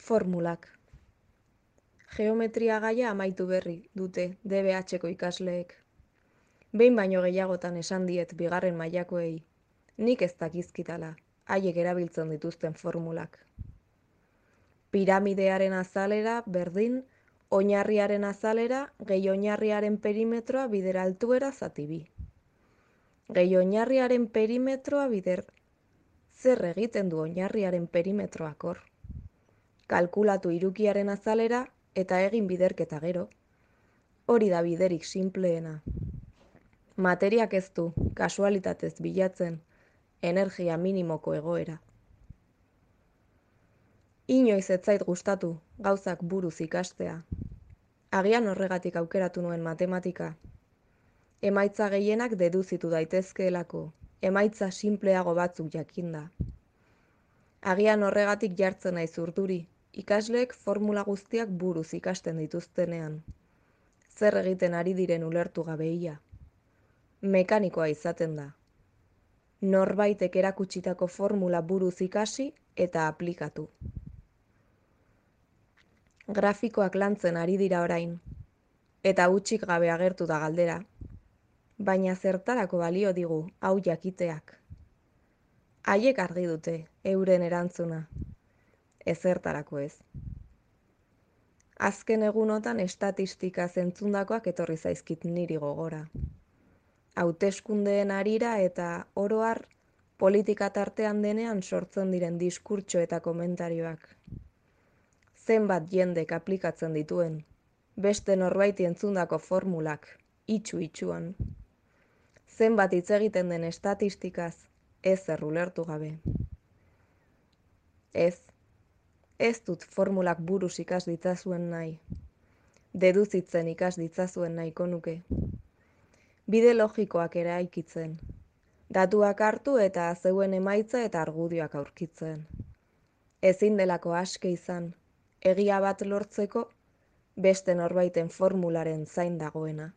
Formulak. Geometria gaia amaitu berri dute DBH-ko ikasleek. Behin baino gehiagotan esan diet bigarren mailakoei, nik ez dakizkitala, haiek erabiltzen dituzten formulak. Piramidearen azalera berdin, oinarriaren azalera gehi oinarriaren perimetroa bider altuera zati bi. Gehi oinarriaren perimetroa bider zer egiten du oinarriaren perimetroak hor. Kalkulatu hirukiaren azalera eta egin biderketa gero. Hori da biderik sinpleena. Materiak ez du, kasualitatez bilatzen, energia minimoko egoera. Inoiz ez zait gustatu gauzak buruz ikastea. Agian horregatik aukeratu nuen matematika. Emaitza gehienak deduzitu daitezkeelako, emaitza sinpleago batzuk jakinda. Agian horregatik jartzen naiz urduri, ikasleek formula guztiak buruz ikasten dituztenean. Zer egiten ari diren ulertu gabeia. Mekanikoa izaten da. Norbaitek erakutsitako formula buruz ikasi eta aplikatu. Grafikoak lantzen ari dira orain, eta hutsik gabe agertu da galdera. Baina zertarako balio digu hau jakiteak. Haiek argi dute euren erantzuna, ezertarako ez. Azken egunotan estatistika zentzundakoak etorri zaizkit niri gogora. Hauteskundeen harira eta oro har politika tartean denean sortzen diren diskurtso eta komentarioak. Zenbat jendek aplikatzen dituen, beste norbaiti entzundako formulak, itxu-itxuan. Zenbat hitz egiten den estatistikaz, ezer ulertu gabe. Ez dut formulak buruz ikas ditzazuen nahi. Deduzitzen ikas ditzazuen nahiko nuke. Bide logikoak eraikitzen. Datuak hartu eta zeuen emaitza eta argudioak aurkitzen. Ezin delako aske izan, egia bat lortzeko, beste norbaiten formularen zain dagoena.